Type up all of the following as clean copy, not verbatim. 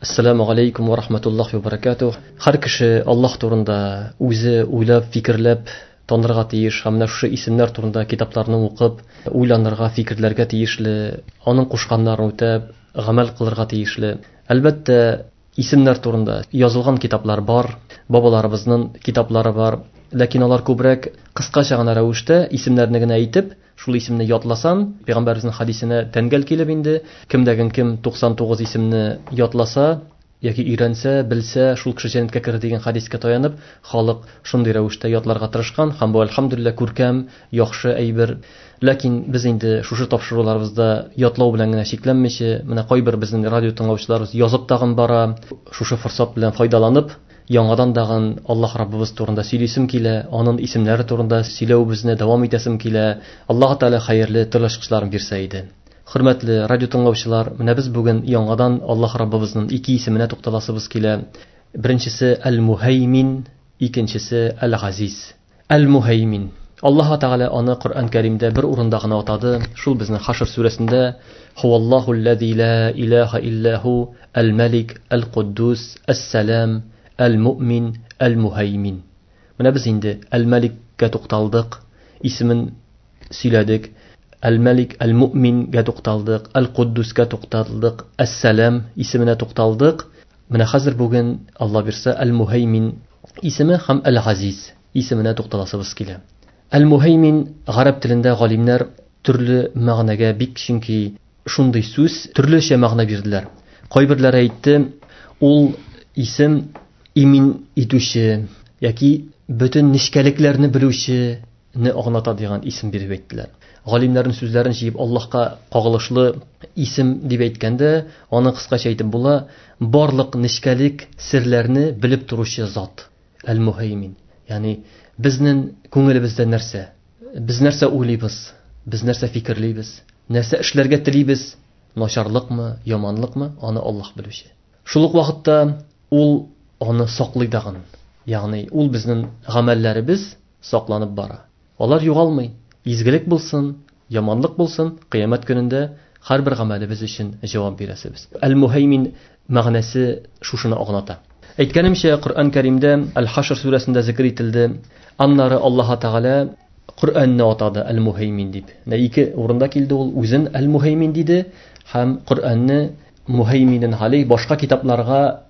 Ассаламу алейкум ва рахматуллахи ва баракатух. Һәр кеше Аллаһ турында үзе уйлап, фикерләп танырга тиеш һәм менә шушы исемнәр турында китапларны укып, уйланырга, фикерләргә тиешле, аның кушканнарын үтәп, гамәл кылырга тиешле. Әлбәттә, исемнәр турында язылган китаплар бар, бабаларыбызның китаплары бар, ләкин алар күбрәк кыскача гына рәвештә исемнәрне генә әйтеп, шул исемне ятласан, пәйгамбәребезнең хадисенә тәңгәл килеп инде, кемдәген кем 99 исемне ятласа, яки өйрәнсә, белсә, шул кеше җәннәткә керер дигән хадискә таянып, халык шундый рәвештә ятларга тырышкан һәм бу әлхәмдүлилләһ күркәм, яхшы әйбер. Ләкин без инде шушы тапшыруларыбызда ятлау белән генә чикләнмичә, менә кайбер безнең радио тыңлаучыларыбыз язып тагын бара, шушы форсат белән файдаланып, яңадан тагын Аллаһ Раббыбыз турында сөйлисем килә, аның исемнәре турында сөйләүебезне дәвам итәсем килә. Аллаһ Тәгалә хәерле төрле ачкычларын бирсә иде. Хөрмәтле радио тыңлаучылар, менә без бүген яңадан Аллаһ Раббыбызның ике исеменә тукталасыбыз килә. Беренчесе Әл-Муһаймин, икенчесе Әл-Газиз. Әл-Муһаймин. Аллаһ Тәгалә аны Коръән Кәримдә бер урында гына атады. Шул безнең Хашр сүрәсендә Хуаллаху аллази ла илаха илля ху, әл-Малик, әл-Куддус, әс-Салам, әл-Муъмин, әл-Муһаймин. Менә без инде Әл-Маликкә тукталдык, исемен сөйләдек. Әл-Малик, Әл-Муъмингә тукталдык, Әл-Куддускә тукталдык, Әс-Салам исеменә тукталдык. Менә хәзер бүген Алла бирсә Әл-Муһаймин исеме һәм Әл-Газиз исеменә тукталасыбыз килә. Әл-Муһаймин гарәп телендә галимнәр төрле мәгънәгә бик, чөнки шундый сүз төрлечә мәгънә бирделәр. Кайберләре әйтте, ул исем имин итүче яки бөтен нечкәлекләрне белүчене аңлата дигән исем биреп әйттеләр. Галимнәрнең сүзләрен җыеп Аллаһка кагылышлы исем дип әйткәндә, аны кыскача әйтеп була, барлык нечкәлек серләрне белеп торучы зат Әл-Муһаймин. Ягъни безнең күңелебездә нәрсә? Без нәрсә уйлыйбыз? Без нәрсә фикерлибез? Нәрсә эшләргә телибез? Начарлыкмы, яманлыкмы? Аны Аллаһ белүче. Шул ук вакытта ул аны саклый дагын. Ягъни ул безнең гамәлләребез сакланып бара. Алар югалмый. Изгелек булсын, яманлык булсын, кыямәт көнендә һәрбер гамәлебез өчен җавап бирәсебез. Әл-Муһаймин мәгънәсе шушыны аңлата. Әйткәнемчә, Коръән Кәримдә Әл-Хашр сүрәсендә зикр ителде. Аннары Аллаһ Тәгалә Коръәнне атады Әл-Муһаймин дип. Менә ике урында килде ул, үзен Әл-Муһаймин диде һәм Коръәнне Муһайминен галей башка китапларга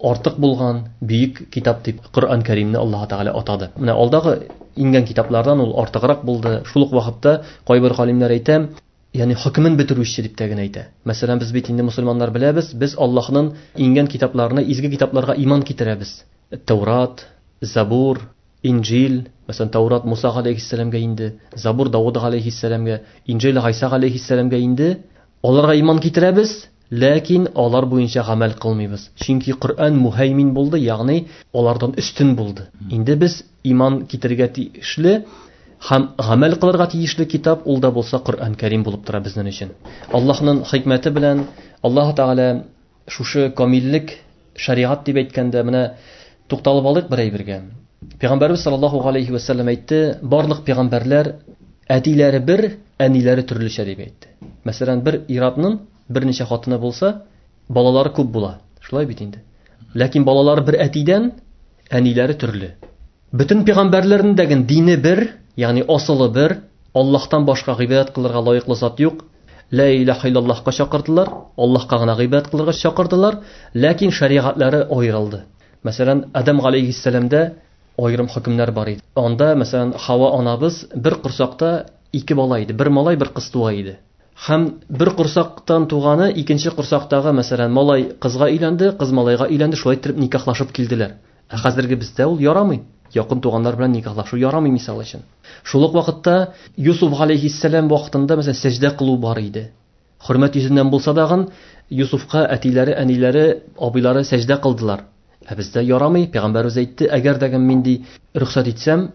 артык булган бөек китап дип Коръән Кәримне Аллаһ Тәгалә атады. Менә алдагы иңгән китаплардан ул артыграк булды. Шул ук вакытта кайбер галимнәр әйтә, ягъни хөкемен бетерүче дип тә генә әйтә. Мәсәлән, без бит инде мусульманнар беләбез, без Аллаһның иңгән китапларына, изге китапларга иман китерәбез. Таурат, Забур, Инҗил, мәсәлән, Таурат Муса галәйһиссәламгә инде, Забур Давыд галәйһиссәламгә, Инҗил Гайса галәйһиссәламгә инде. Аларга иман китерәбез, ләкин алар буенча гамәл кылмыйбыз. Чөнки Коръән муһаймин булды, ягъни алардан өстен булды. Инде без иман китерергә тиешле һәм гамәл кылырга тиешле китап ул да булса Коръән Кәрим булып тора безнең өчен. Аллаһның хикмәте белән Аллаһ Тәгалә шушы камиллек шариат дип әйткәндә, менә тукталып алыйк бер әйбергә. Пәйгамбәрбез саллаллаһу алейхи ва саллям әйтте, барлык пәйгамбәрләр әтиләре бер, әниләре төрлечә дип әйтте. Мәсәлән, бер иратның берничә хатыны булса, балалары күп була. Шулай бит инде. Ләкин балалары бер әтидән, әниләре төрле. Бөтен пәйгамбәрләрнең дә дине бер, ягъни асылы бер, Аллаһтан башка гыйбадәт кылырга лаеклы зат юк. Ла илаһа иллаллаһка чакырдылар, Аллаһка гына гыйбадәт кылырга чакырдылар, ләкин шаригатлары аерылды. Мәсәлән, Адам галәйһиссәламдә аерым хөкемнәр бар иде. Анда, мәсәлән, Хава анабыз бер корсакта ике бала иде, бер малай, бер кыз туа иде. Һәм бер корсактан туганы икенче корсактагы, мәсәлән, малай кызга өйләнде, кыз малайга өйләнде, шулай итеп никахлашып килделәр. Ә хәзерге бездә ул ярамый. Якын туганнар белән никахлашу ярамый, мисал өчен. Шул ук вакытта Юсуф галәйһиссәлам вакытында, мәсәлән, сәҗдә кылу бар иде. Хөрмәт йөзеннән булса дагын Юсуфка әтиләре, әниләре, абыйлары сәҗдә кылдылар. Ә бездә ярамый, пәйгамбәребез әйтте, әгәр дә мин ди рөхсәт итсәм,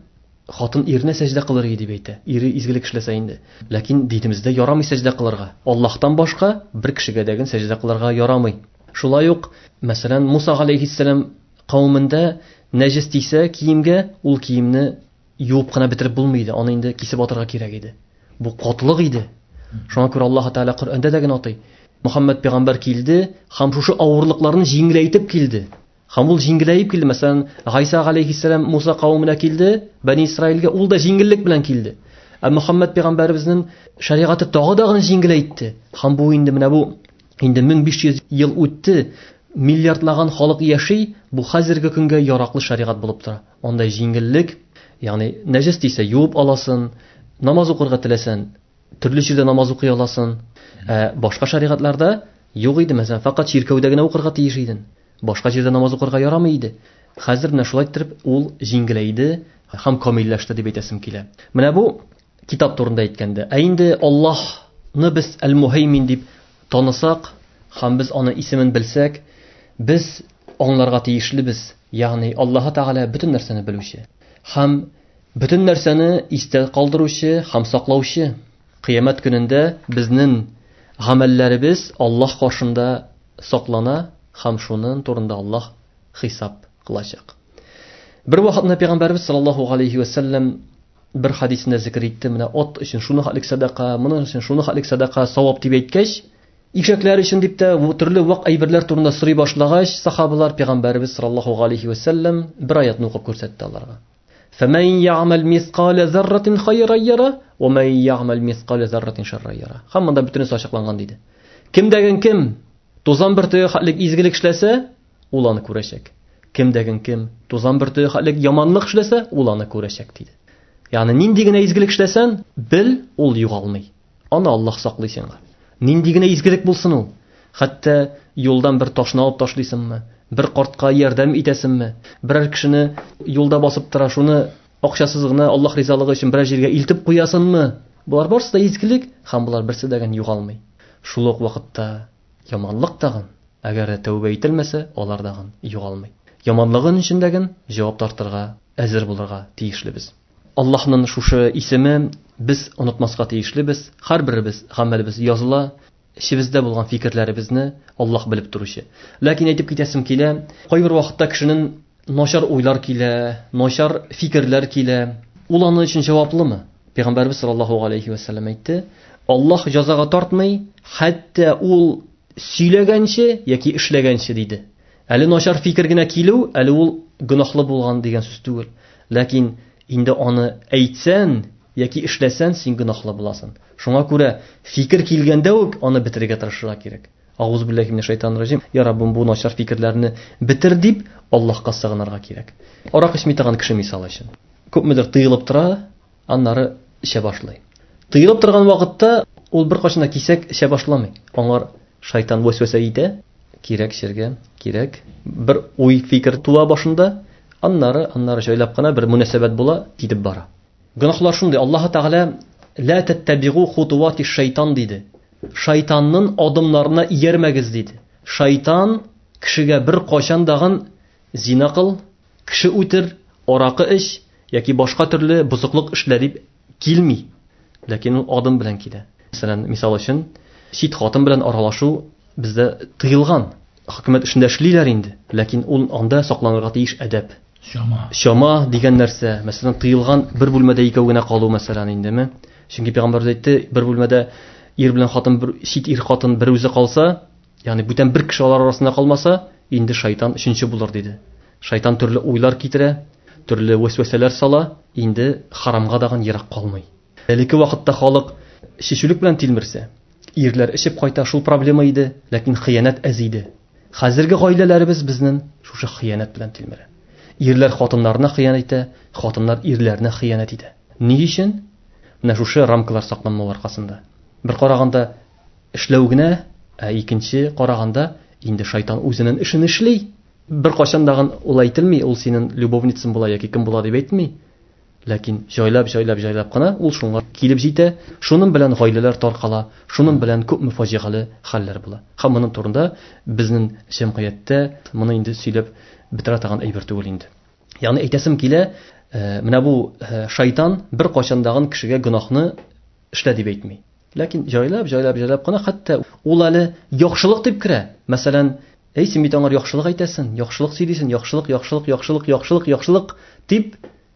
хатын иренә сәҗдә кылыр иде дип әйтә. Ире изгелек эшләсә инде. Ләкин динебездә ярамый сәҗдә кылырга. Аллаһтан башка бер кешегә дә сәҗдә кылырга ярамый. Шулай ук, мәсәлән, Муса галәйһиссәлам кавемендә нәҗес тисә киемгә, ул киемне юып кына бетереп булмый иде, аны инде кисеп атырга кирәк иде. Бу катлык иде. Шуңа күрә Аллаһ Тәгалә Коръәндә дә генә атый. Мөхәммәд пәйгамбәр килде һәм шушы авырлыкларны җиңеләйтеп килде. Һәм ул җиңеләеп килде. Мәсәлән, Гайса галәйһиссәлам Муса кавеменә килде, Бәни Исраилгә ул да җиңеллек белән килде. Ә Мөхәммәд пәйгамбәребезнең шәригате тагы да гына җиңеләйтте. Һәм бу инде менә бу инде 1500 ел үтте, миллиардлаган халык яши, бу хәзерге көнгә яраклы шәригать булып тора. Анда җиңеллек, ягъни нәҗес тисә юып аласың, намаз укырга теләсәң, төрле җирдә намаз укый аласың. Ә башка шәригатьләрдә юк иде, мәсәлән, фәкать чиркәүдә генә укырга тиеш идең. Башка җирдә намаз укырга ярамый иде. Хәзер менә шулай иттереп ул җиңеләйде һәм камилләште дип әйтәсем килә. Менә бу китап турында әйткәндә. Ә инде Аллаһны без Әл-Муһаймин дип танысак һәм без аны исемен белсәк, без аңларга тиешлебез. Ягъни Аллаһ Тәгалә бөтен нәрсәне белүче һәм бөтен нәрсәне истә калдыручы һәм саклаучы. Кыямәт көнендә безнең гамәлләребез Аллаһ каршында саклана һәм шуның турында Аллаһ хисап кылачак. Бер вакытны Пәйгамбәрбез саллаллаһу алейхи ва саллям бер хадисендә зикер итте, менә ат өчен шуны хәтлек садака, моның өчен шуны хәтлек садака савап дип әйткәч, ишәкләр өчен дип тә бу төрле вак әйберләр турында сорый башлагач, сахабалар Пәйгамбәрбез саллаллаһу алейхи ва саллям бер аятны укып күрсәтте аларга. فَمَنْ يَعْمَلْ مِثْقَالَ ذَرَّةٍ خَيْرًا يَرَهُ وَمَنْ يَعْمَلْ مِثْقَالَ ذَرَّةٍ شَرًّا يَرَهُ. Һәм монда бөтенесе ачыкланган диде. Кем дәген кем тузан бөртеге хәтлек изгелек эшләсә, ул аны күрәчәк. Кем дәген кем тузан бөртеге хәтлек яманлык эшләсә, ул аны күрәчәк диде. Ягъни нинди генә изгелек эшләсәң, бел, ул югалмый. Аны Аллаһ саклый сиңа. Нинди генә изгелек булсын ул. Хәтта юлдан бер ташны алып ташлыйсыңмы, бер картка ярдәм итәсеңме, берәр кешене юлда басып тора, шуны акчасыз гына Аллаһ ризалыгы өчен берәр җиргә илтеп куясыңмы? Болар барысы да изгелек һәм болар берсе дә генә югалмый. Шул ук вакытта яманлык тагын, әгәр дә тәүбә ителмәсә, алар тагын югалмый. Яманлыгын өчен дә җавап тартырга әзер булырга тиешлебез. Аллаһның шушы исеме без онытмаска тиешлебез. Һәрберебез гамәлебез языла, эчебездә булган фикерләребезне Аллаһ белеп торучы. Ләкин әйтеп китәсем килә, кайбер вакытта кешенең начар уйлар килә, начар фикерләр килә. Ул аның өчен җаваплымы? Пәйгамбәрбез саллаллаһу алейхи ва саллям әйтте, Аллаһ җәзага тартмый, хәтта ул сөйләгәнче яки эшләгәнче диде. Әле начар фикер генә килү, әле ул гөнаһлы булган дигән сүз түгел. Ләкин инде аны әйтсән яки эшләсән, син гөнаһлы буласың. Шуңа күрә фикер килгәндә үк аны бетерергә тырышырга кирәк. Агуз биллахи минәш шайтанир раҗим. Я Раббым, бу начар фикерләрне бетер дип Аллаһка сыгынырга кирәк. Арак эчми торган кеше мисал өчен. Күпмедер тыелып тора, аннары эчә башлый. Тыелып торган вакытта ул бер кашына кисәк эчә башламый. Аңар шайтан вәсвәсә итә, кирәк эчәргә, кирәк. Бер уй фикер туа башында, аннары, аннары җайлап кына бер мөнәсәбәт була, китеп бара. Гөнаһлар шундый, Аллаһ Тәгалә ла таттабигу хутуати шайтан диде. Шайтанның адымнарына иярмәгез диде. Шайтан кешегә бер кайчан дагын зина кыл, кеше үтер, аракы эч яки башка төрле бозыклык эшлә дип килми. Ләкин ул адым белән килә. Мәсәлән, мисал өчен, чит хатын белән аралашу бездә тыелган. Хөкүмәт эшендә эшлиләр инде, ләкин ул анда сакланырга тиеш әдәп. Чама. Чама дигән нәрсә, мәсәлән, тыелган бер бүлмәдә икәү генә калу, мәсәлән, индеме? Чөнки пәйгамбәрбез әйтте, бер бүлмәдә ир белән хатын, бер чит ир хатын бер үзе калса, ягъни бүтән бер кеше алар арасында калмаса, инде шайтан өченче булыр диде. Шайтан төрле уйлар китерә, төрле вәсвәсәләр сала, инде харамга дагын ерак калмый. Элекке вакытта халык чишүлек белән тилмерсә, ирләр эчеп кайта, шул проблема иде, ләкин хыянәт әз иде. Хәзерге гаиләләребез безнең шушы хыянәт белән тилмерә. Ирләр хатыннарына хыянәт итә, хатыннар ирләренә хыянәт итә. Ни өчен? Менә шушы рамкалар сакланмау аркасында. Бер караганда эшләү генә, ә икенче караганда инде шайтан үзенең эшен эшли. Бер кайчан дагын ул әйтелми, ул синең любовницаң була яки кем була дип әйтми. Ләкин җайлап, җайлап, җайлап кына ул шуңа килеп җитә. Шуның белән гаиләләр таркала, шуның белән күпме фаҗигале хәлләр була. Һәм моның турында безнең җәмгыятьтә моны инде сөйләп бетерә торган әйбер түгел инде. Ягъни әйтәсем килә, менә бу шайтан бер кайчан дагын кешегә гөнаһны эшлә дип әйтми. Ләкин җайлап, җайлап, җайлап кына хәтта ул әле яхшылык дип керә. Мәсәлән, әй син бит аңар яхшылык әйтәсең, яхшылык сөйлисең, яхшылык, яхшылык, яхшылык, яхшылык, яхшылык дип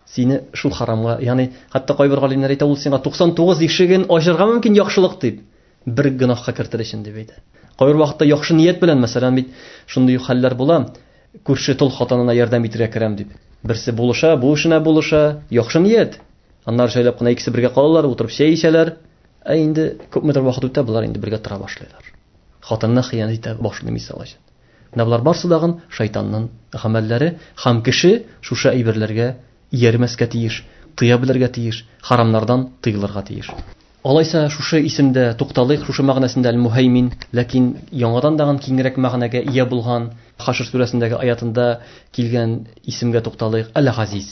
сине шул харамга, ягъни хәтта кайбер галимнәр әйтә, ул сиңа 99 ишеген ачырга мөмкин яхшылык дип, бер гөнаһка кертер өчен дип әйтә. Кайбер вакытта яхшы ният белән, мәсәлән, бит шундый хәлләр була, күрше тол хатынына ярдәм итәргә керәм дип. Берсе булыша, бу эшенә булыша, яхшы ният. Аннары шайлап кына икесе бергә калалар, утырып чәй эчәләр. Ә инде күпмедер вакыт үтә, болар инде бергә тора башлыйлар. Хатынына хыянәт итә башлый, мисал өчен. Менә болар барсы дагын шайтанның гамәлләре, һәм кеше шушы әйберләргә иярмәскә тиеш, тыя белергә тиеш, харамнардан тыелырга тиеш. Алайса шушы исемдә тукталыйк, шушы мәгънәсендә Әл-Муһаймин, ләкин яңадан дагын киңрәк мәгънәгә ия булган Хашр сүрәсендәге аятында килгән исемгә тукталыйк. Әл-Газиз.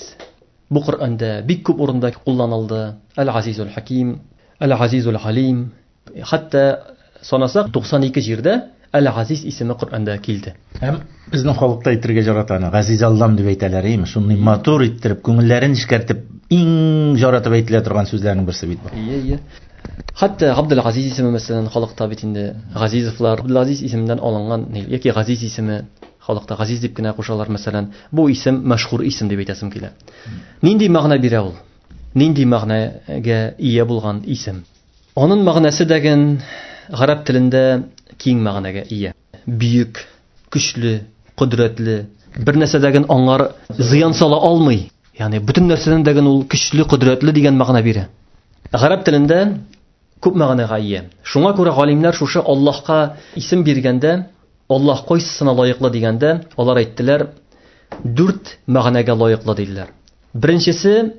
Бу Коръәндә бик күп урында кулланылды. Әл-Газизул Хаким, Әл-Газизул Алим. Хәтта санасак 92 җирдә Әл-Газиз исеме Коръәндә килде. Һәм безнең халыкта әйтергә жарата аны, Газиз Аллам дип әйтәләр, әйеме? Шундый матур иттереп, күңелләрен нечкәртеп, иң жаратып әйтелә торган сүзләрнең берсе бит бу. Ие, ие. Хәтта Габдул-Газиз исеме, мәсәлән, халыкта бит инде Газизовлар, Габдул-Газиз исеменнән алынган, яки Газиз исеме халыкта Газиз дип кенә кушалар, мәсәлән. Бу исем мәшһүр исем дип әйтәсем килә. Нинди мәгънә бирә ул? Нинди мәгънәгә ия булган исем? Аның мәгънәсе дәген гарәп телендә киң мәгънәгә ия. Бөек, көчле, кодрәтле, бер нәрсәдәген аңар зыян сала алмый. Ягъни бөтен нәрсәдән дәген ул көчле, кодрәтле дигән мәгънә бирә. Гарәп телендә күп мәгънәгә ия. Шуңа күрә галимнәр шушы Аллаһка исем биргәндә, Аллаһ кайсысына лаеклы дигәндә, алар әйттеләр, дүрт мәгънәгә лаеклы диделәр. Беренчесе,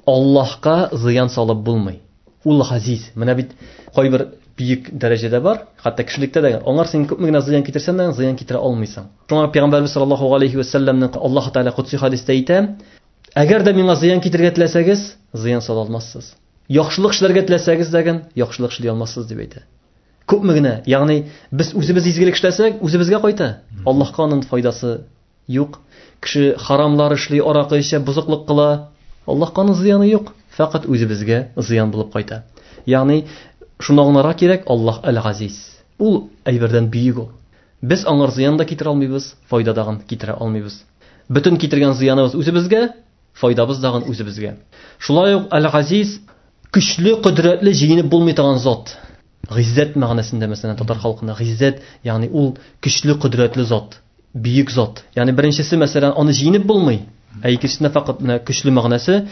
Аллаһка зыян салып булмый. Ул газиз. Менә бит кайбер бөек дәрәҗәдә бар, хәтта кешелектә дә аңар син күпме генә зыян китерсәң дә, зыян китерә алмыйсың. Шуңа Пәйгамбәрбез саллаллаһу алейхи ва сәлләмнең Аллаһ Тәгалә кудси хадистә әйтә, әгәр дә миңа зыян китерергә теләсәгез, зыян сала алмассыз. Яхшылык эшләргә теләсәгез дә, яхшылык эшли алмассыз дип әйтә. Күпме генә, ягъни без үзебез изгелек эшләсәк, үзебезгә кайта. Аллаһка аның файдасы юк. Кеше харамлар эшли, аракы эчә, бозыклык кыла. Аллаһка аның зыяны юк, фәкать үзебезгә зыян булып кайта. Ягъни шуны аңларга кирәк, Аллаһ Әл-Газиз. Ул әйбердән бөек ул. Без аңар зыян да китерә алмыйбыз, файда да китерә алмыйбыз. Бөтен китергән зыяныбыз үзебезгә, файдабыз дагын үзебезгә. Шулай ук Әл-Газиз көчле, кодрәтле, җиңеп булмый торган зат. Гыйззәт мәгънәсендә, мәсәлән, татар халкында гыйззәт, ягъни ул көчле, кодрәтле зат, бөек зат. Ягъни беренчесе, мәсәлән, аны җиңеп булмый, ә икенчесендә фәкать менә көчле мәгънәсе.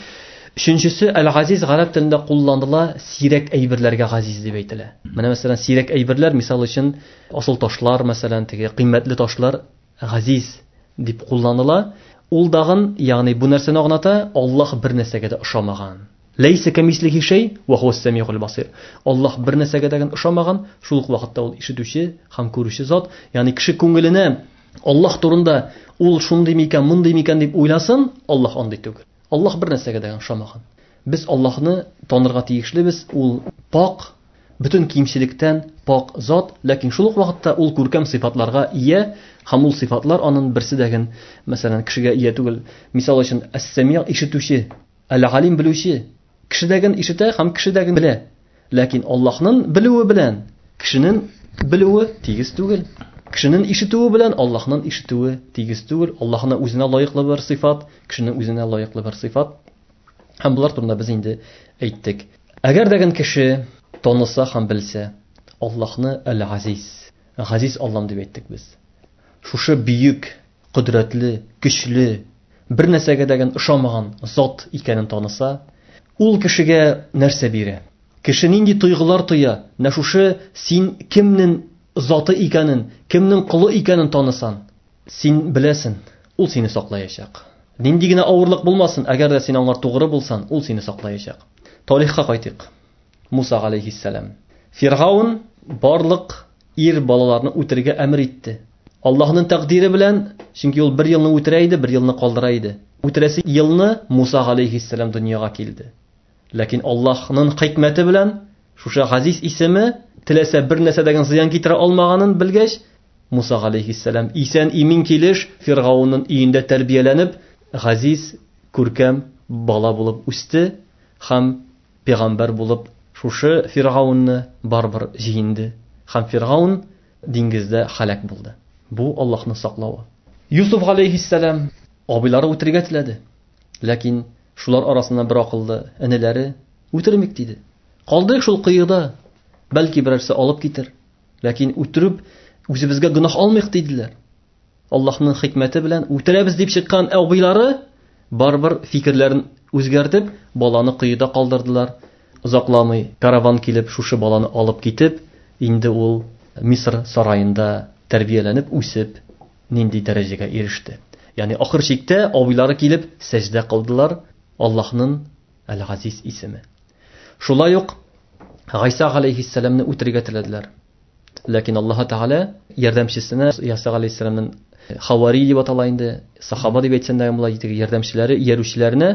Өченчесе, Әл-Газиз гарәп телендә кулланыла, сирәк әйберләргә газиз дип әйтелә. Менә мәсәлән, сирәк әйберләр, мисал өчен, асыл ташлар, мәсәлән, теге кыйммәтле ташлар газиз дип кулланыла. Ул дагын, ягъни бу нәрсәне аңлата, Аллаһ бер нәрсәгә дә ошамаган. Ләйсә кәмислихи шәй ва хуас самиул басир. Аллаһ бер нәрсәгә дә ошамаган, шул ук вакытта ул ишетүче һәм күрүче зат. Ягъни кеше күңеленә Аллаһ турында ул шундый микән, мондый микән дип уйласын, Аллаһ андый түгел. Аллаһ бер нәрсәгә дә ошамаган. Без Аллаһны танырга тиешлебез, ул пак, бөтен кимчелектән пак зат, ләкин шул ук вакытта ул күркәм сыйфатларга ия, һәм ул сыйфатлар аның берсе дә, мәсәлән, кешегә ия түгел. Мисал өчен, әс-сәми ишетүче, әл-галим белүче. Кешедәген ишетә һәм кешедәген белә. Ләкин Аллаһның белүе белән кешенең белүе тигез түгел. Кешенең ишетүе белән Аллаһның ишетүе тигез түгел. Аллаһның үзенә лаеклы бер сыйфат, кешенең үзенә лаеклы бер сыйфат. Һәм булар турында без инде әйттек. Әгәр дә кеше таныса һәм белсә Аллаһны Әл-Газиз, Газиз Аллам дип әйттек без. Шушы бөек, кодрәтле, көчле, бер нәрсәгә дә ошамаган зат икәнен таныса, ул кешегә нәрсә бирә? Кеше нинди тойгылар тоя? Менә шушы син кемнең заты икәнен, кемнең колы икәнен танысан, син беләсен, ул сине саклаячак. Нинди генә авырлык булмасын, әгәр дә син аңар тугры булсан, ул сине саклаячак. Тарихка кайтыйк. Муса алейхиссалам. Фиргаун барлык ир балаларны үтерергә әмер итте. Аллаһның тәкъдире белән, чөнки ул бер елны үтерә иде, бер елны калдыра иде. Үтерәсе елны Муса алейхиссалам дөньяга килде. Ләкин Аллаһның хикмәте белән шушы Газиз исеме теләсә бер нәрсәдән зыян китерә алмаганын белгәч, Муса алейхиссалам исән имин килеш Фиргаунның өендә тәрбияләнеп, газиз, күркәм бала булып үсте һәм пәйгамбәр булып шушы Фиргаунны барыбер җиңде. Һәм Фиргаун диңгездә һәлак булды. Бу Аллаһның саклавы. Юсуф алейхиссалам абыйлары үтерергә теләде. Ләкин шулар арасыннан бер акыллы энеләре үтермик диде. Калдык шул кыеда, бәлки берәрсе алып китер. Ләкин үтереп үзебезгә гөнаһ алмыйк диделәр. Аллаһның хикмәте белән үтерәбез дип чыккан абыйлары барыбер фикерләрен үзгәртеп, баланы коеда калдырдылар. Озакламый караван килеп, шушы баланы алып китеп, инде ул Мисыр сараенда тәрбияләнеп, үсеп, нинди дәрәҗәгә иреште. Ягъни ахыр чиктә абыйлары килеп сәҗдә кылдылар Аллаһның Әл-Газиз исеме. Шулай ук Гайса галәйһиссәламне үтерергә теләделәр. Ләкин Аллаһ Тәгалә ярдәмчесенә Гайса галәйһиссәламнең хавари дип атала инде, сахаба дип әйтсәң дә була, ярдәмчеләре, иярүчеләренә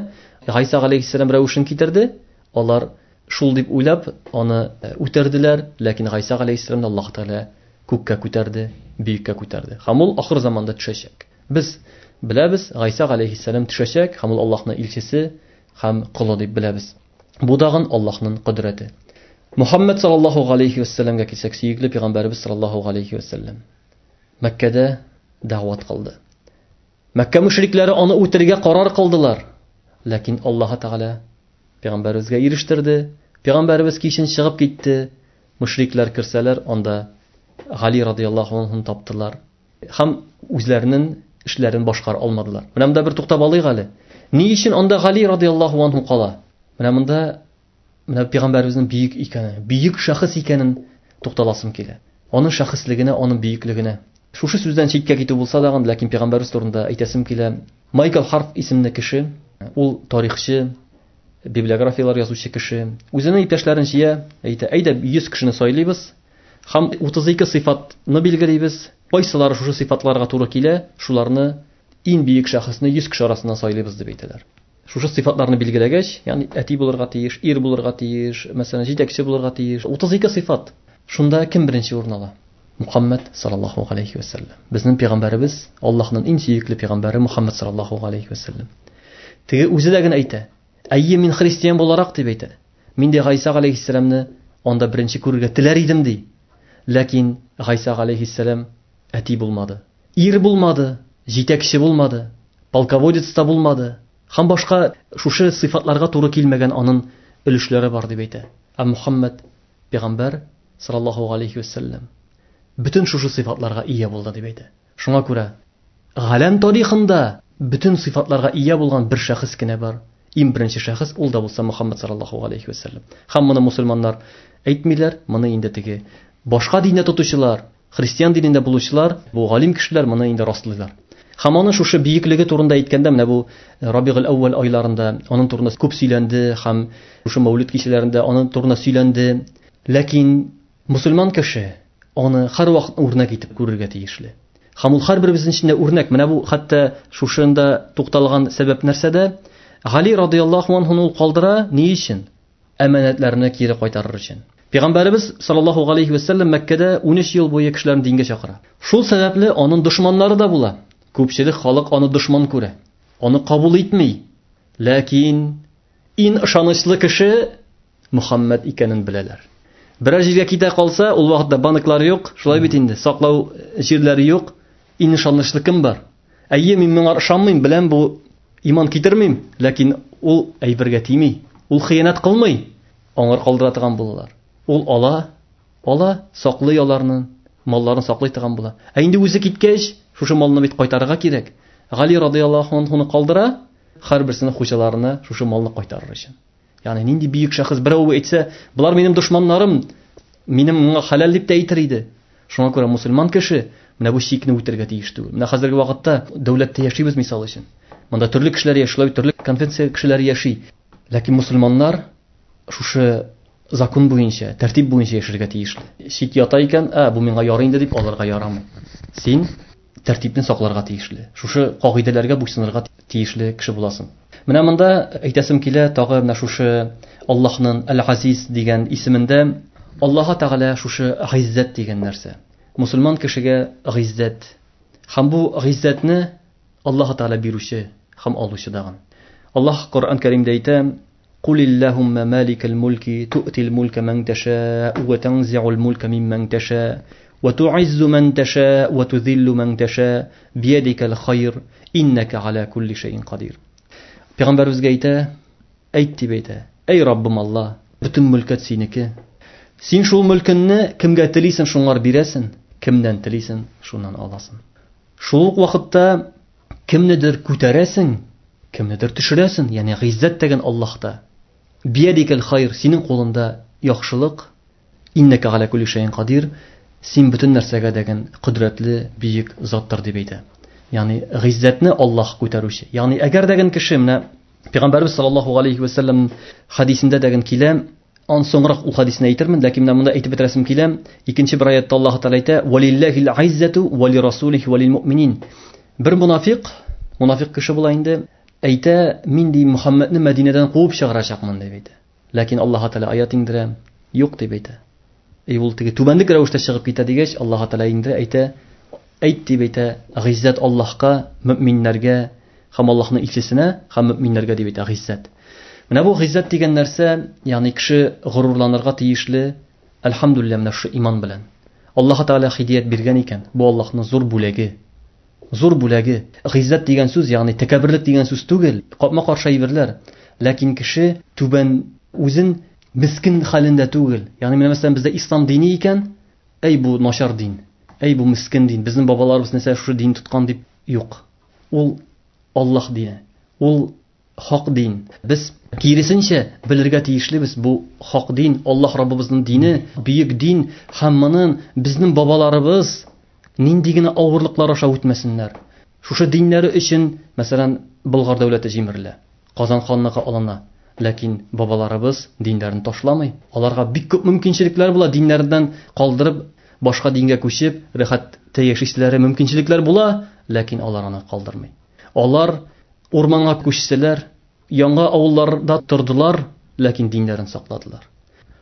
Гайса галәйһиссәлам рәвешен китерде. Алар шул дип уйлап, аны үтерделәр, ләкин Гайса галәйһиссәламне Аллаһ Тәгалә күккә күтәрде, бөеккә күтәрде. Һәм ул ахыр заманда төшәчәк. Без беләбез, Гайса галәйһиссәлам төшәчәк, һәм ул Аллаһның илчесе һәм колы дип беләбез. Бу тагын Аллаһның кодрәте. Мухаммад саллаллаһу галәйһи вәссәламгә килсәк, сөекле пәйгамбәребез саллаллаһу галәйһи вәссәлам Мәккәдә дәгъват кылды. Мәккә мөшрикләре аны үтерергә карар кылдылар. Ләкин Аллаһ Тәгалә пәйгамбәребезгә ирештерде. Пәйгамбәребез кичен чыгып китте. Мөшрикләр керсәләр, анда Гали радияллаһу анһуны таптылар. Һәм үзләренең эшләрен башкара алмадылар. Менә монда бер туктап алыйк әле. Ни өчен анда Гали радияллаһу анһу кала? Менә монда менә пәйгамбәребезнең бөек икәнен, бөек шәхес икәнен тукталасым килә. Аның шәхеслегенә, аның бөеклегенә. Шушы сүздән читкә китү булса да, ләкин пәйгамбәребез турында әйтәсем килә. Майкл Харф исемле кеше, ул тарихчы, библиографияләр язучы кеше. Үзенең иптәшләрен җыя, әйтә, әйдә 100 кешене сайлыйбыз һәм 32 сыйфатны билгелибез. Кайсылары шушы сыйфатларга туры килә, шуларны иң бөек шәхесне 100 кеше арасыннан сайлыйбыз дип әйтәләр. Шушы сыйфатларны билгеләгәч, ягъни әти булырга тиеш, ир булырга тиеш, мәсәлән, җитәкче булырга тиеш. 32 сыйфат. Шунда кем беренче урын ала? Мухаммад саллаллаһу галәйһи ва сәлләм. Безнең пәйгамбәребез, Аллаһның иң сөекле пәйгамбәре Мухаммад саллаллаһу галәйһи ва сәлләм. Теге үзе дә генә әйтә. Әйе, мин христиан буларак дип әйтә. Мин дә Гайса галәйһиссәламне анда беренче күрергә теләр идем ди. Ләкин Гайса галәйһиссәлам әти булмады. Ир булмады, җитәкче булмады, полководец та булмады. Һәм башка шушы сыйфатларга туры килмәгән аның өлешләре бар дип әйтә. Ә Мухаммад пәйгамбәр саллаллаһу галәйһи вәсәлләм бөтен шушы сыйфатларга ия булды дип әйтә. Шуңа күрә галәм тарихында бөтен сыйфатларга ия булган бер шәхес кенә бар. Иң беренче шәхес ул да булса Мухаммад саллаллаһу галәйһи вәсәлләм. Һәм моны мусульманнар әйтмиләр, моны инде теге башка диндә тотучылар, христиан динендә булучылар, бу галим кешеләр моны инде раслыйлар. Һәм аның шушы бөеклеге турында әйткәндә, менә бу Рабигул әүвәл айларында аның турында күп сөйләнде һәм шушы мәүлид кичәләрендә аның турында сөйләнде. Ләкин мусульман кеше аны һәрвакыт үрнәк итеп күрергә тиешле. Һәм ул һәрберебезнең эчендә үрнәк. Менә бу хәтта шушында тукталган сәбәп нәрсәдә? Гали радияллаһу анһуны ул калдыра ни өчен? Әманәтләрне кире кайтарыр өчен. Пәйгамбәребез саллаллаһу галәйһи ва сәлләм Мәккәдә 13 ел буе кешеләрне дингә чакыра. Шул сәбәпле аның дошманнары да була. Күпчелек халык аны дошман күрә. Аны кабул итми. Ләкин иң ышанычлы кеше Мухаммад икәнен беләләр. Берәр җиргә китә калса, ул вакытта банклар юк, шулай бит инде, саклау җирләре юк. Иң ышанычлы кем бар? Әйе, мин моңа ышанмыйм, беләм бу иман китермим, ләкин ул әйбергә тими, ул хыянәт кылмый. Аңар калдыра торган булалар. Ул ала, ала, саклый аларны, малларын саклый торган була. Ә инде үзе киткәч, шушы малны бит кайтарырга кирәк. Гали радияллаһу анһуны калдыра, һәрберсенең хуҗаларына шушы малны кайтарыр өчен. Ягъни нинди бөек шәхес берәү әйтсә, болар минем дошманнарым, минем моңа хәләл дип тә әйтер иде. Шуңа күрә мусульман кеше менә бу чикне үтәргә тиеш түгел. Менә хәзерге вакытта дәүләттә яшибез мисал өчен. Монда төрле кешеләр яши, шулай төрле конфессия кешеләре яши. Ләкин мусульманнар шушы закон буенча, тәртип буенча яшәргә тиешле. Чит ята икән, ә бу миңа ярый инде дип алырга ярамый. Син тәртипне сакларга тиешле. Шушы кагыйдәләргә буйсынырга тиешле кеше буласың. Менә монда әйтәсем килә, тагы менә шушы Аллаһның Әл-Азиз дигән исемендә Аллаһ Тәгалә шушы гыйззәт дигән нәрсә. Мусульман кешегә гыйззәт. Һәм бу гыйззәтне Аллаһ Тәгалә бирүче һәм алучы дагын. Аллаһ Коръән Кәримдә әйтә: "Кул иллаһумма маликал мулки ту'тил мулка ман таша ва танзи'ул мулка мимман таша ва ту'иззу ман таша ва тузиллу ман таша биядикал хайр иннака аля кулли шәйин кадир." Пәйгамбәребезгә әйтә, әйт дип әйтә. Әй Раббым Алла, бөтен мөлкәт синеке. Син шул мөлкеңне кемгә телисең, шуңар бирәсең, кемнән телисең, шуннан аласың. Шул ук вакытта кемнедер күтәрәсең, кемнедер төшерәсең, ягъни гыйззәт дигән Аллаһта. Биядикәл хайр, синең кулында яхшылык. Иннәкә галя кулли шәйин кадир, син бөтен нәрсәгә дәген кодрәтле бөек заттыр дип әйтә. Ягъни гыйззәтне Аллаһ күтәрүче. Ягъни әгәр дәген кеше менә Пәйгамбәрбез саллаллаһу алейхи ва саллям хадисендә дәген килә, ан соңрак ул хадисне әйтермен, ләкин менә монда әйтеп бетерәсем килә. Икенче бер аятта Аллаһ Тәгалә әйтә: "Валиллахил иззату ва лирасулихи ва лилмуъминин". Бер мунафик, мунафик кеше була инде, әйтә: "Мин ди Мухаммадны Мәдинәдән куып чыгарачакмын" дип әйтә. Ләкин Аллаһ Тәгалә аят иңдерә, юк дип әйтә. И ул теге түбәнлек рәвештә чыгып китә дигәч, Аллаһ Тәгалә иңдерә, әйтә: "Әйт дип әйтә, гыйззәт Аллаһка, мөминнәргә һәм Аллаһның илчесенә һәм мөминнәргә дип әйтә гыйззәт. Менә бу гыйззәт дигән нәрсә, ягъни кеше горурланырга тиешле, әлхәмдүлилләһ, менә шушы иман белән. Аллаһ Тәгалә һидият биргән икән, бу Аллаһның зур бүләге. Зур бүләге. Гыйззәт дигән сүз, ягъни тәкәбберлек дигән сүз түгел, капма-каршы әйберләр. Ләкин кеше түбән үзен мискин хәлендә түгел. Ягъни менә мәсәлән бездә ислам дине икән, әй бу начар дин, әй бу мискин дин, безнең бабаларыбыз нәрсә шушы дин тоткан дип юк. Ул Аллаһ дине, ул хак дин. Без киресенчә белергә тиешлебез, бу хак дин, Аллаһ Раббыбызның дине, бөек дин һәм моның безнең бабаларыбыз нинди генә авырлыклар аша үтмәсеннәр. Шушы диннәре өчен, мәсәлән, Болгар дәүләте җимерелә, Казан ханлыгы алына, ләкин бабаларыбыз диннәрен ташламый. Аларга бик күп мөмкинчелекләр була, диннәреннән калдырып, башка дингә күчеп, рәхәттә яшиселәре мөмкинчелекләр була, ләкин алар аны калдырмый. Алар урманга күчселәр, яңа авылларда тордылар, ләкин диннәрен сакладылар.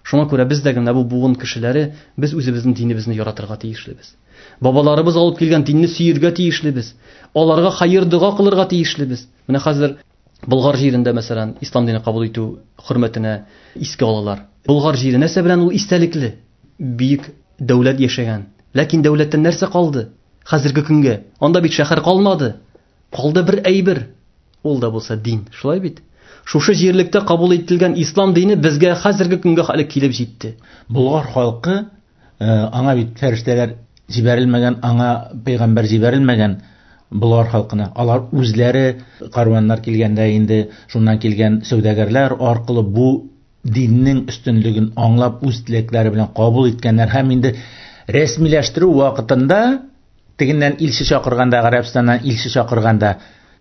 Шуңа күрә без дә генә бу буын кешеләре, без үзебезнең динебезне яратырга тиешлебез. Бабаларыбыз алып килгән динне сөергә тиешлебез. Аларга хәер дога кылырга тиешлебез. Менә хәзер Болгар җирендә, мәсәлән, ислам дине кабул итү хөрмәтенә искә алалар. Болгар җире нәрсә белән ул истәлекле? Бөек дәүләт яшәгән. Ләкин дәүләттән нәрсә калды? Хәзерге көнгә анда бит шәһәр калмады. Калды бер әйбер. Ул да булса дин. Шулай бит? Шушы җирлектә кабул ителгән ислам дине безгә хәзерге көнгә әле килеп җитте. Болгар халкы аңа бит фәрештәләр җибәрелмәгән, аңа пәйгамбәр җибәрелмәгән Болгар халкына. Алар үзләре карваннар килгәндә инде шуннан килгән сәүдәгәрләр аркылы бу диннең өстенлеген аңлап үз теләкләре белән кабул иткәннәр һәм инде рәсмиләштерү вакытында тегеннән илче чакырганда, Гарәбстаннан илче чакырганда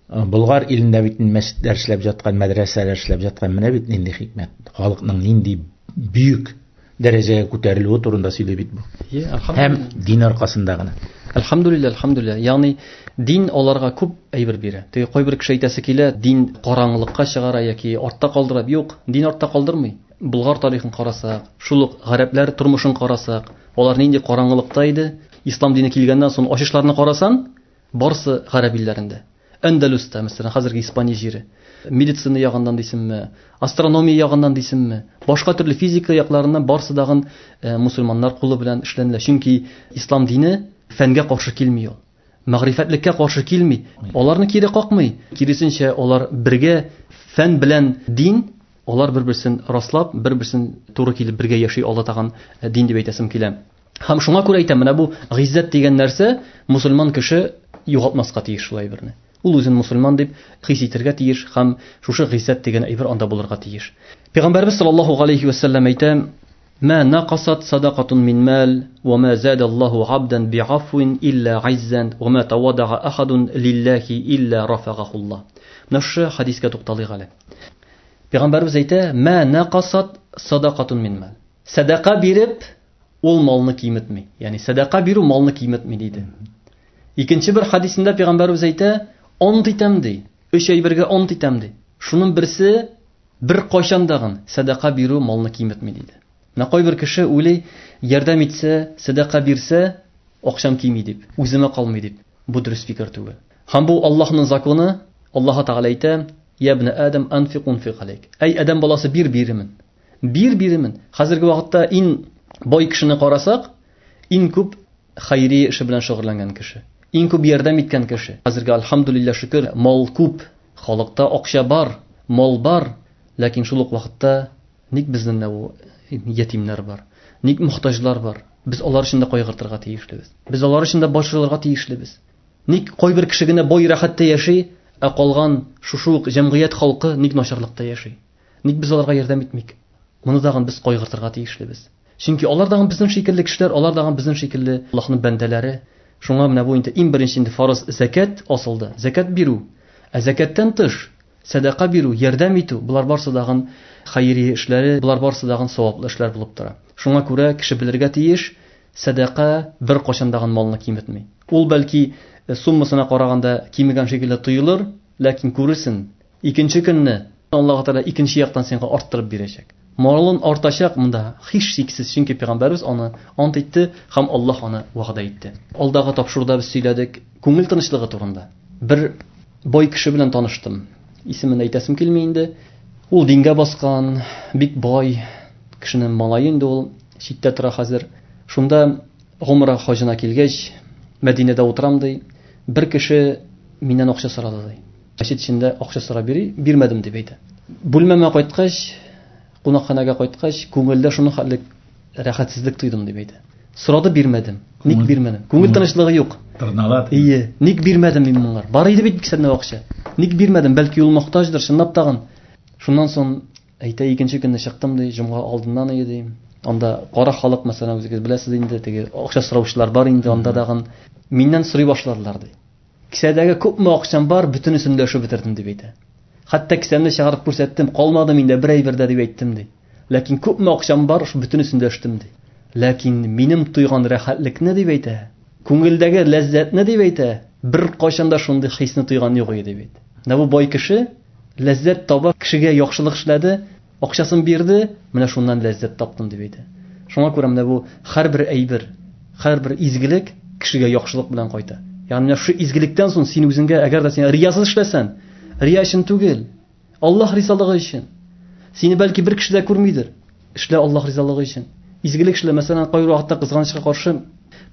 Болгар илендә бит мәчетләр эшләп яткан, мәдрәсәләр эшләп яткан, менә бит нинди хикмәт. Халыкның нинди бөек дәрәҗәгә күтәрелүе турында сөйли бит бу. Һәм дин аркасында гына. Әлхәмдүлилләһ, әлхәмдүлилләһ. Ягъни дин аларга күп әйбер бирә. Теге кайбер кеше әйтәсе килә, дин караңгылыкка чыгара яки артта калдыра. Юк, дин артта калдырмый. Болгар тарихын карасак, шул ук гарәпләр тормышын карасак, алар нинди караңгылыкта иде. Ислам дине килгәннән соң ачышларны карасан, барсы гарәп илләрендә. Әндәлүстә, мәсәлән, хәзерге Испания җире. Медицина ягыннан дисеңме, астрономия ягыннан дисеңме, башка төрле физика якларыннан барсы дагын мусульманнар кулы белән эшләнелә. Чөнки ислам дине фәнгә каршы килми ул. Мәгърифәтлеккә каршы килми. Аларны кире какмый. Киресенчә, алар бергә фән белән дин, алар бер-берсен раслап, бер-берсен туры килеп бергә яши ала торган дин дип әйтәсем килә. Һәм шуңа күрә әйтәм, менә бу гыйззәт дигән нәрсә мусульман кеше югалтмаска тиеш шул әйберне. Ул үзен мусульман дип хис итәргә тиеш һәм шушы гыйззәт дигән әйбер анда булырга тиеш. Пәйгамбәрбез саллаллаһу алейхи ва саллям әйтә: "Ма нақасат садақатун мин мал, ва ма зада Аллаһу абдан би'афвин илля иззан, ва ма тавадаа ахадун лиллахи илля рафагаху Аллаһ". Менә шушы хадискә тукталыйк әле. Пәйгамбәрбез әйтә: "Ма нақасат садақатун мин мал". Садака биреп ул малны киметми. Ягъни садака бирү малны киметми диде. Икенче бер хадисендә пәйгамбәрбез әйтә: "Онт итәм ди. Өч әйбергә онт итәм ди. Шуның берсе бер кайчан дагын садака бирү малны киметми диде. Менә кайбер кеше уйлый, ярдәм итсә, садака бирсә, акчам кими дип, үземә калмый дип. Бу дөрес фикер түгел. Һәм бу Аллаһның законы. Аллаһ Тәгалә әйтә: "Я ибн Адам, анфик унфик алейк". Әй Адам баласы, бир биремен. Бир биремен. Хәзерге вакытта иң бай кешене карасак, иң күп хайрия эше белән шөгыльләнгән кеше, иң күп ярдәм иткән кеше. Хәзерге альхамдулилла шөкер, мал күп, халыкта акча бар, мал бар, ләкин шул ук вакытта ник безнең дә бу ятимнәр бар? Ник мохтаҗлар бар? Без алар өчен дә кайгыртырга тиешлебез. Без алар өчен дә борчылырга тиешлебез. Ник кайбер кеше генә бай рәхәттә яши, ә калган шушы ук җәмгыять халкы ник начарлыкта яши? Ник без аларга ярдәм итмик? Моны тагын без кайгыртырга тиешлебез. Чөнки алар тагын безнең шикелле кешеләр, алар тагын безнең шикелле Аллаһның бәндәләре. Шуңа менә бу инде иң беренче инде фарыз зәкят асылды. Зәкят бирү. Ә зәкяттән тыш сәдака бирү, ярдәм итү, болар барсы тагын хәйри эшләре, болар барсы тагын саваплы эшләр булып тора. Шуңа күрә кеше белергә тиеш, сәдака бер кайчан тагын малны киметми. Ул бәлки суммасына караганда кимегән шикелле тоелыр, ләкин күрерсең, икенче көнне Аллаһ Тәгалә икенче яктан сиңа арттырып бирәчәк. Малын артачак монда һичшиксез, чөнки пәйгамбәрбез аны ант итте һәм Аллаһ аны вәгъдә итте. Алдагы тапшыруда без сөйләдек күңел тынычлыгы турында. Бер бай кеше белән таныштым. Исемен әйтәсем килми инде. Ул дингә баскан, бик бай кешенең малае инде ул, читтә тора хәзер. Шунда гомра хаҗына килгәч, Мәдинәдә утырам ди. Бер кеше миннән акча сорады ди. Мәчет эчендә акча сорап йөри, бирмәдем дип әйтә. Бүлмәмә кайткач, кунакханәгә кайткач, күңелдә шуның хәтле рәхәтсезлек тойдым дип әйтә. Сорады, бирмәдем. Ник бирмәдем? Күңел тынычлыгы юк. Тырнала. Ие, ник бирмәдем мин моңар? Бар иде бит кесәмдә акча. Ник бирмәдем? Бәлки ул мохтаҗдыр, чынлап тагын. Шуннан соң әйтә, икенче көнне чыктым ди, җомга алдыннан иде ди. Анда кара халык, мәсәлән, үзегез беләсез инде, теге акча сораучылар бар инде анда тагын. Миннән сорый башладылар ди. Кесәдәге күпме акчам бар, бөтенесен өләшеп бетердем дип әйтә. Хәтта кесәмне чыгарып күрсәттем, калмады миндә бер әйбер дә дип әйттем ди. Ләкин күпме акчам бар, шу бөтенесен өләштем ди. Ләкин минем тойган рәхәтлекне дип әйтә, күңелдәге ләззәтне дип әйтә, бер кайчан да шундый хисне тойган юк иде дип әйтә. Менә бу бай кеше ләззәт таба, кешегә яхшылык эшләде, акчасын бирде, менә шуннан ләззәт таптым дип әйтә. Шуңа күрә менә бу һәрбер әйбер, һәрбер изгелек кешегә яхшылык белән кайта. Ягъни менә шу изгелектән соң син үзеңгә, әгәр дә син риясыз эшләсәң, рия өчен түгел, Аллаһ ризалыгы өчен. Сине бәлки бер кеше дә күрмидер. Эшлә Аллаһ ризалыгы өчен. Изгелек эшлә, мәсәлән, кайбер вакытта кызганычка каршы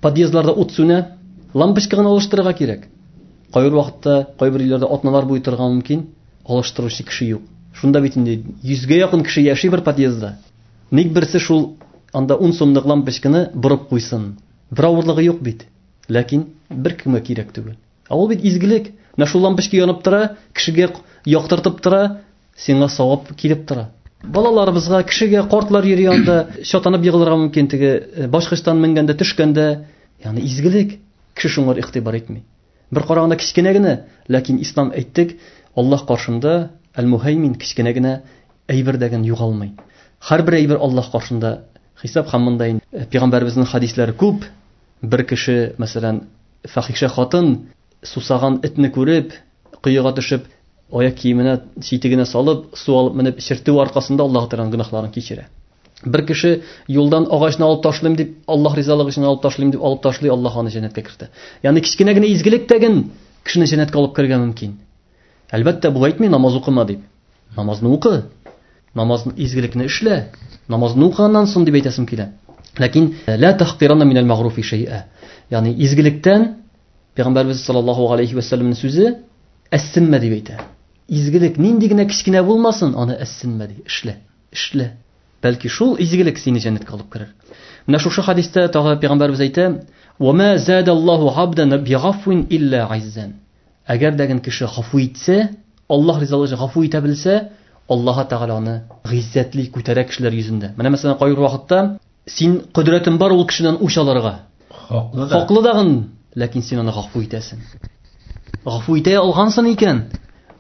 подъездларда ут сүнә, лампочка гына алыштырырга кирәк. Кайбер вакытта, кайбер өйләрдә атналар буе торырга мөмкин, алыштыручы кеше юк. Шунда бит инде 100гә якын кеше яши бер подъездда. Ник берсе шул анда 10 сумлык лампочканы борып куйсын? Бер авырлыгы юк бит. Ләкин бер кемгә кирәк түгел. Ә ул бит изгелек. Менә шул лампочка янып тора, кешегә яктыртып тора, сиңа савап килеп тора. Балаларыбызга, кешегә, картлар йөри анда, чатанып егылырга мөмкин, теге башкычтан менгәндә, төшкәндә. Ягъни изгелек. Кеше шуңа игътибар итми. Бер караганда кечкенә генә, ләкин ислам әйттек, Аллаһ каршында әл-Муһаймин кечкенә генә әйбер дә югалмый. Һәрбер әйбер Аллаһ каршында хисап һәм монда инде пәйгамбәребезнең хадисләре күп. Бер кеше, мәсәлән, фахиша хатын сусаган этне күреп, коега төшеп, аяк киеменә, читегенә салып, су алып менеп чиртү аркасында Аллаһ Тәгаләнең гөнаһларын кичерә. Бер кеше юлдан агачны алып ташлыйм дип, Аллаһ ризалыгы өчен алып ташлыйм дип алып ташлый, Аллаһ аны җәннәткә кертә. Ягъни кечкенә генә изгелек тәген кешене җәннәткә алып керергә мөмкин. Әлбәттә, бу әйтми намаз укыма дип. Намазны укы. Намазны, изгелекне эшлә. Намазны укыганнан соң дип әйтәсем килә. Ләкин ла тахкирана минәл мәгъруфи шәй'a. Ягъни изгелектән Пәйгамбәрбез саллаллаһу алейхи ва сәлләмнең сүзе әссенмә дип әйтә. Изгелек нинди генә кечкенә булмасын, аны әссенмә ди, эшлә, эшлә. Бәлки шул изгелек сине җәннәткә алып керер. Менә шушы хадистә тагы Пәйгамбәрбез әйтә: "Ва ма задаллаһу абдан бигафвин илля иззан." Әгәр дә кеше гафу итсә, Аллаһ ризалыгы өчен гафу итә белсә, Аллаһ Тәгалә аны гыйззәтле күтәрә кешеләр йөзендә. Менә мәсәлән, кайбер вакытта син кодрәтең бар ул кешедән үч алырга. Хаклы да. Хаклы дагын, ләкин син аны гафу итәсең. Гафу итә алгансың икән,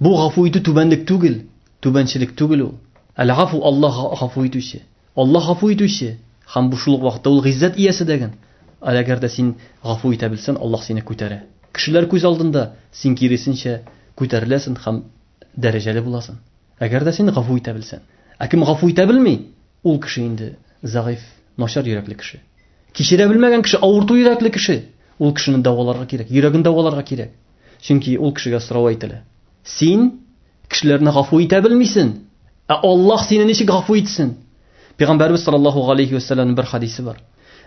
бу гафу итү түбәнлек түгел, түбәнчелек түгел ул. Әл-гафу Аллаһ гафу итүче. Аллаһ гафу итүче һәм бу шул ук вакытта ул гыйззәт иясе дәген. Әгәр дә син гафу итә белсәң, Аллаһ сине күтәрә. Кешеләр күз алдында син киресенчә күтәреләсең һәм дәрәҗәле буласың. Әгәр дә син гафу итә белсәң. Ә кем гафу итә белми, ул кеше инде зәгыйф, начар йөрәкле кеше. Кичерә белмәгән кеше, авырту йөрәкле кеше. Ул кешене дәваларга кирәк, йөрәген дәваларга кирәк. Чөнки ул кешегә сорау әйтелә. Син кешеләрне гафу итә белмисең, ә Аллаһ сине ничек гафу итсен? Пәйгамбәрбез саллаллаһу алейхи ва сәлләмнең бер хадисе бар.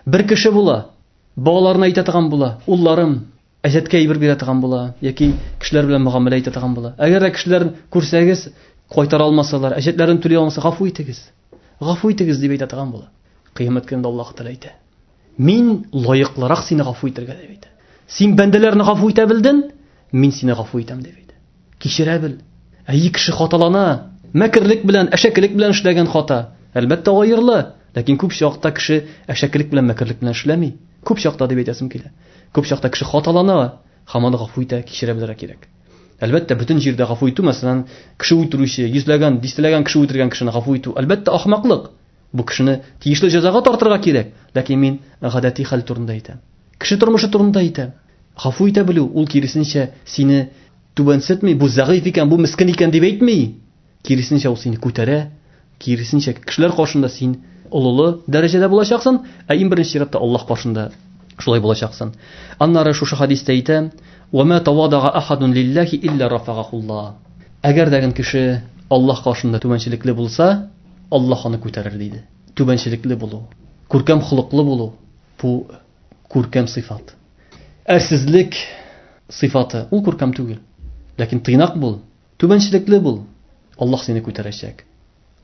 Бер кеше була, балаларына әйтә торган була, улларым, әҗәткә әйбер бирә торган була, яки кешеләр белән мөгамәлә итә торган була. Әгәр дә кешеләр күрсәгез, кайтара алмасалар, әҗәтләрен түли алмаса, гафу итегез. Гафу итегез дип әйтә торган була. Кыямәт көнендә Аллаһ Тәгалә әйтә: "Мин лаеклырак сине гафу итәргә", дип әйтә. Син бәндәләрне гафу итә белдең, мин сине гафу итәм, дип әйтә. Кичерә бел. Әй, кеше хаталана, мәкерлек белән, әшәкелек белән эшләгән хата, әлбәттә, аерыла. Ләкин күп чакта кеше әшәкелек белән, мәкерлек белән эшләми. Күп чакта дип әйтәсем килә. Күп чакта кеше хаталана, һәм аны гафу итә, кичерә белергә кирәк. Әлбәттә, бөтен җирдә гафу итү, мәсәлән, кеше үтерүче, йөзләгән, дистәләгән кеше үтергән кешене гафу итү, әлбәттә, ахмаклык. Бу кешене тиешле җәзага тартырга кирәк. Ләкин мин гадәти хәл турында әйтәм. Кеше тормышы турында әйтәм. Гафу итә белү, ул киресенчә сине түбәнсетми, бу зәгыйф икән, бу мискен икән дип әйтми. Киресенчә ул сине күтәрә, киресенчә кешеләр каршында син олылы дәрәҗәдә булачаксың, ә иң беренче чиратта Аллаһ каршында шулай булачаксың. Аннары шушы хадистә әйтә: "Ва ма тавадага ахадун лиллахи илля рафагахуллаһ". Әгәр дә кеше Аллаһ каршында түбәнчелекле булса, Аллаһ аны күтәрер, диде. Түбәнчелекле булу, күркәм холыклы булу бу күркәм сыйфат. Әрсезлек сыйфаты ул күркәм түгел. Ләкин тыйнак бул, түбәнчелекле бул, Аллаһ сине күтәрәчәк.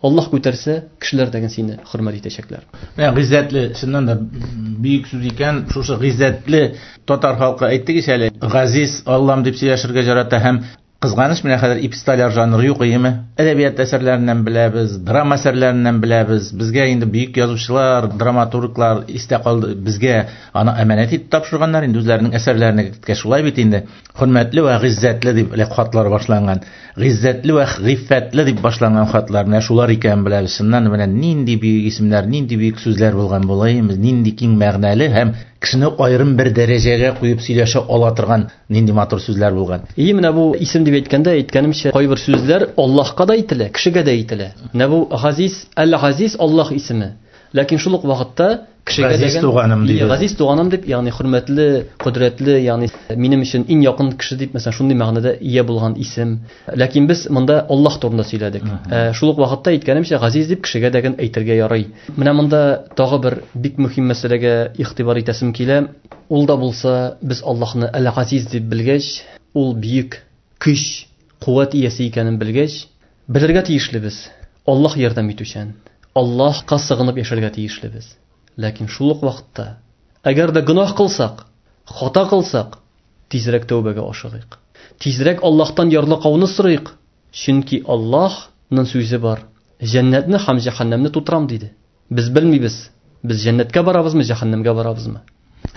Аллаһ күтәрсә, кешеләр дә сине хөрмәт итәчәкләр. Менә гыйззәтле, чыннан да бөек сүз икән, шушы гыйззәтле татар халкы әйттек ич әле, газиз Аллам дип сөйләшергә ярата һәм кызганыч, менә хәзер эпистоляр жанры юк, иеме? Әдәбият әсәрләреннән беләбез, драма әсәрләреннән беләбез. Безгә инде бөек язучылар, драматурглар истә калды, безгә аны әманәт итеп тапшырганнар инде үзләренең әсәрләренә керткәч. Шулай бит инде. Хөрмәтле вә гыйззәтле дип элек хатлар башланган. Гыйззәтле вә гыйффәтле дип башланган хатлар. Менә шулар икәнен беләбез. Чыннан менә нинди бөек исемнәр, нинди бөек сүзләр булган була, нинди киң мәгънәле һәм кешене аерым бер дәрәҗәгә куеп сөйләшә ала торган нинди матур сүзләр булган. И менә бу исем дип әйткәндә, әйткәнемчә, кайбер сүзләр Аллаһка да әйтелә, кешегә дә әйтелә. Менә бу Газиз, Әл-Газиз Аллаһ исеме. Ләкин шул ук вакытта кешегә Газиз туганым дип. Газиз туганым дип, ягъни хөрмәтле, кодрәтле, ягъни минем өчен иң якын кеше дип, мәсәлән, шундый мәгънәдә ия булган исем. Ләкин без монда Аллаһ турында сөйләдек. Шул ук вакытта әйткәнемчә, Газиз дип кешегә дә әйтергә ярый. Менә монда тагы бер бик мөһим мәсьәләгә игътибар итәсем килә. Ул да булса, без Аллаһны Әл-Газиз дип белгәч, ул бөек көч, куәт иясе икәнен белгәч, белергә тиешлебез. Аллаһ ярдәм итүчән. Аллаһка сыгынып яшәргә тиешлебез. Ләкин шул ук вакытта, әгәр дә гөнаһ кылсак, хата кылсак, тизрәк тәүбәгә ашыгыйк. Тизрәк Аллаһтан ярлыкауны сорыйк, чөнки Аллаһның сүзе бар. Җәннәтне һәм җәһәннәмне тутырам диде. Без белмибез, без җәннәткә барабызмы, җәһәннәмгә барабызмы?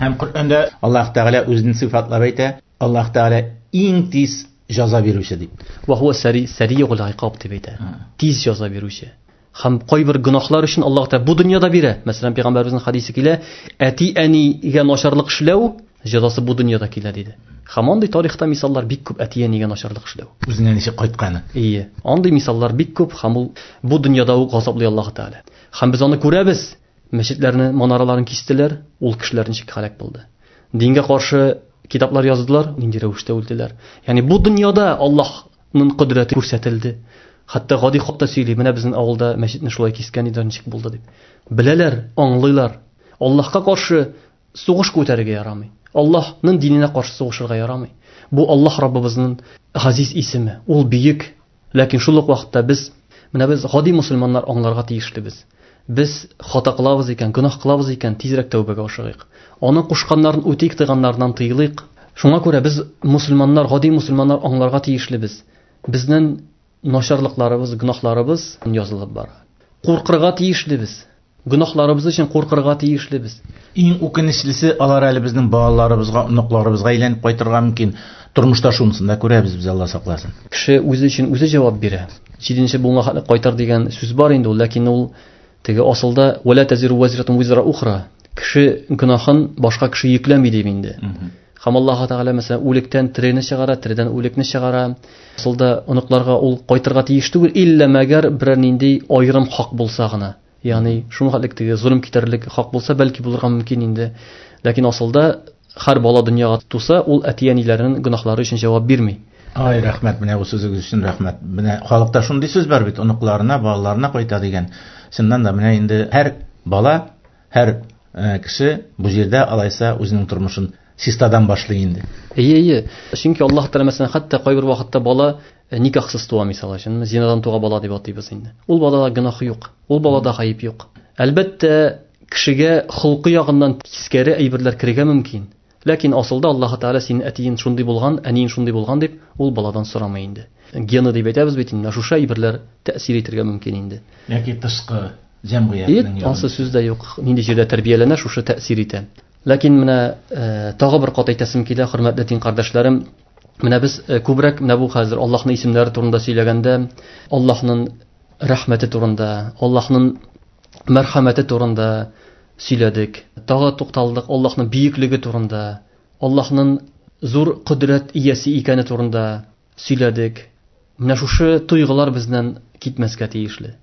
Һәм Коръәндә Аллаһ Тәгалә үзен сыйфатлап әйтә, Аллаһ Тәгалә иң тиз җәза бирүче дип. Ва хуа саригул икаб дип әйтә. Тиз җәза бирүче. Һәм кайбер гөнаһлар өчен Аллаһ Тәгалә бу дөньяда бирә. Мәсәлән, пәйгамбәребезнең хадисе килә, әти-әнигә начарлык эшләү җәзасы бу дөньяда килә диде. Һәм андый тарихта мисаллар бик күп, әти-әнигә начарлык эшләү. Үзенә ничек кайтканы. Ие, андый мисаллар бик күп һәм ул бу дөньяда ук газаплый Аллаһ Тәгалә. Һәм без аны күрәбез. Мәчетләрне, манараларын кистеләр, ул кешеләр ничек һәлак булды. Дингә каршы китаплар яздылар, нинди рәвештә үлделәр. Ягъни бу дөньяда Аллаһның кодрәте күрсәтелде. Хәтта гади халык та сөйли, менә безнең авылда мәчетне шулай кискән иде, ничек булды дип. Беләләр, аңлыйлар. Аллаһка каршы сугыш күтәрергә ярамый. Аллаһның диненә каршы сугышырга ярамый. Бу Аллаһ Раббыбызның газиз исеме, ул бөек. Ләкин шул ук вакытта без, менә без гади мусульманнар аңларга тиешлебез. Без хата кылабыз икән, гөнаһ кылабыз икән, тизрәк тәүбәгә ашыгыйк. Аның кушканнарын үтик, тыйганнарыннан тыелыйк. Шуңа күрә без мусульманнар, гади мусульманнар аңларга тиешлебез. Безнең начарлыкларыбыз, гөнаһларыбыз язылып бара. Куркырга тиешлебез. Гөнаһларыбыз өчен куркырга тиешлебез. Иң үкенечлесе, алар әле безнең балаларыбызга, оныкларыбызга әйләнеп кайтырга мөмкин. Тормышта шунысын да күрәбез без, Алла сакласын. Кеше үзе өчен үзе җавап бирә. Җиденче буынга хәтле кайтар дигән сүз бар инде ул, ләкин ул теге асылда вала тазиру вазиратун визра ухра. Кеше гөнаһын башка кеше йөкләми дип инде. Һәм Аллаһ Тәгалә мәсәлән үлектән терене чыгара, тередән үлекне чыгара. Асылда оныкларга ул кайтырга тиеш түгел, иллә мәгәр берәр нинди аерым хак булса гына. Ягъни шуның хәтлек теге золым китәрлек хак булса, бәлки булырга мөмкин инде. Ләкин асылда һәр бала дөньяга туса, ул әти-әниләренең гөнаһлары өчен җавап бирми. Ай, рәхмәт, менә бу сүзегез өчен рәхмәт. Менә халыкта шундый сүз бар бит, оныкларына, балаларына кайта дигән. Чыннан да менә инде һәр бала, һәр кеше бу җирдә алайса үзенең тормышын чистадан башлый инде. Әйе, әйе. Чөнки Аллаһ Тәгалә мәсәлән, хәтта кайбер вакытта бала никахсыз туа, мисал өчен, зинадан туган бала дип атыйбыз инде. Ул балада гөнаһ юк, ул балада гаеп юк. Әлбәттә, кешегә холкы ягыннан тискәре әйберләр керергә мөмкин. Ләкин асылда Аллаһ Тәгалә синең әтиең шундый булган, әниең шундый булган дип, ул баладан сорамый инде. Гены дип әйтәбез бит инде, шушы әйберләр тәэсир итәргә мөмкин инде. Яки тышкы җәмгыятьнең. Ансы сүз дә юк. Нинди җирдә тәрбияләнә, шушы тәэсир итә. Ләкин менә тагы бер кат әйтәсем килә, хөрмәтле дин кардәшләрем, менә без күбрәк менә бу хәзер Аллаһның исемнәре турында сөйләгәндә, Аллаһның рәхмәте турында, Аллаһның мәрхәмәте турында сөйләдек. Тагы тукталдык Аллаһның бөеклеге турында, Аллаһның зур кодрәт иясе икәне турында сөйләдек. Менә шушы тойгылар бездән китмәскә тиешле.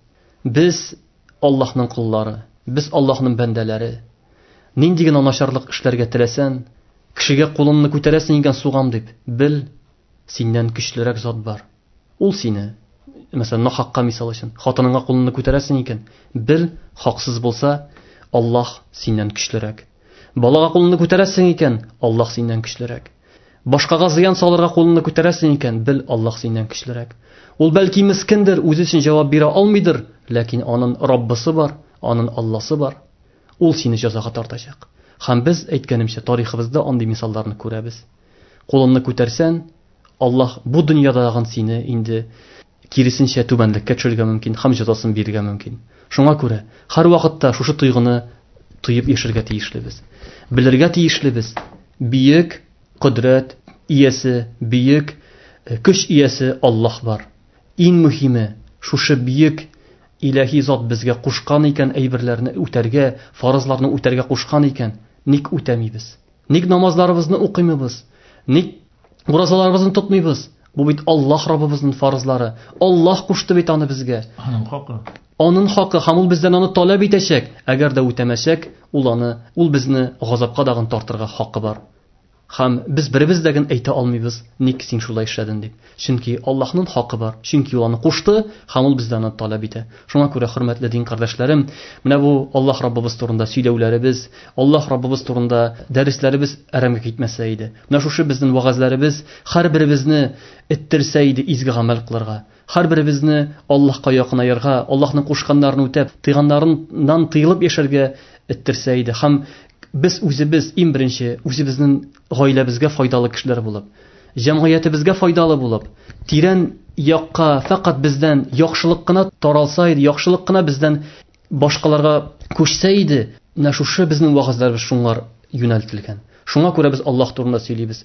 Без Аллаһның коллары, без Аллаһның бәндәләре. Нинди генә начарлык эшләргә теләсәң, кешегә кулыңны күтәрәсең икән сугам дип, бел, синнән көчлерәк зат бар. Ул сине, мәсәлән, нахакка мисал өчен, хатыныңа кулыңны күтәрәсең икән, бел, хаксыз булса, Аллаһ синнән көчлерәк. Балага кулыңны күтәрәсең икән, Аллаһ синнән көчлерәк. Башкага зыян салырга кулыңны күтәрәсең икән, бел, Аллаһ синнән көчлерәк. Ул бәлки мискиндер, үзе өчен җавап бирә алмыйдыр, ләкин аның Раббысы бар, аның Алласы бар. Ул сине җәзага тартачак. Һәм без, әйткәнемчә, тарихыбызда андый мисалларны күрәбез. Кулыңны күтәрсәң, Аллаһ бу дөньядагын сине инде киресенчә түбәнлеккә төшерергә мөмкин һәм җәзасын бирергә мөмкин. Шуңа күрә һәр вакытта шушы тойгыны тоеп яшәргә тиешлебез. Белергә тиешлебез. Бөек кодрәт иясе, бөек көч иясе Аллаһ бар. Иң мөһиме, шушы бөек илаһи зат безгә кушкан икән әйберләрне үтәргә, фарызларны үтәргә кушкан икән, ник үтәмибез? Ник намазларыбызны укыймыбыз? Ник уразаларыбызны тотмыйбыз? Бу бит Аллаһ Раббыбызның фарызлары. Аллаһ кушты бит аны безгә. Аның хакы. Аның хакы, һәм ул бездән аны таләп итәчәк. Әгәр дә үтәмәсәк, ул аны, ул безне газапка дагын тартырга хакы бар. Һәм без беребез дә генә әйтә алмыйбыз, ник син шулай эшләдең дип. Чөнки Аллаһның хакы бар. Чөнки ул аны кушты, һәм ул бездән аны таләп итә. Шуңа күрә, хөрмәтле дин кардәшләрем, менә бу Аллаһ Раббыбыз турында сөйләүләребез, Аллаһ Раббыбыз турында дәресләребез әрәмгә китмәсә иде. Менә шушы безнең вәгазьләребез һәрберебезне эттерсә иде изге гамәл кылырга. Һәрберебезне Аллаһка якынаерга, Аллаһның кушканнарын үтәп, тыйганнарыннан тыелып яшәргә эттерсә иде. Һәм без үзебез иң беренче үзебезнең гаиләбезгә файдалы кешеләр булып, җәмгыятебезгә файдалы булып, тирән якка фәкать бездән яхшылык кына таралса иде, яхшылык кына бездән башкаларга күчсә иде, менә шушы безнең вәгазьләребез шуңар юнәлтелгән. Шуңа күрә без Аллаһ турында сөйлибез.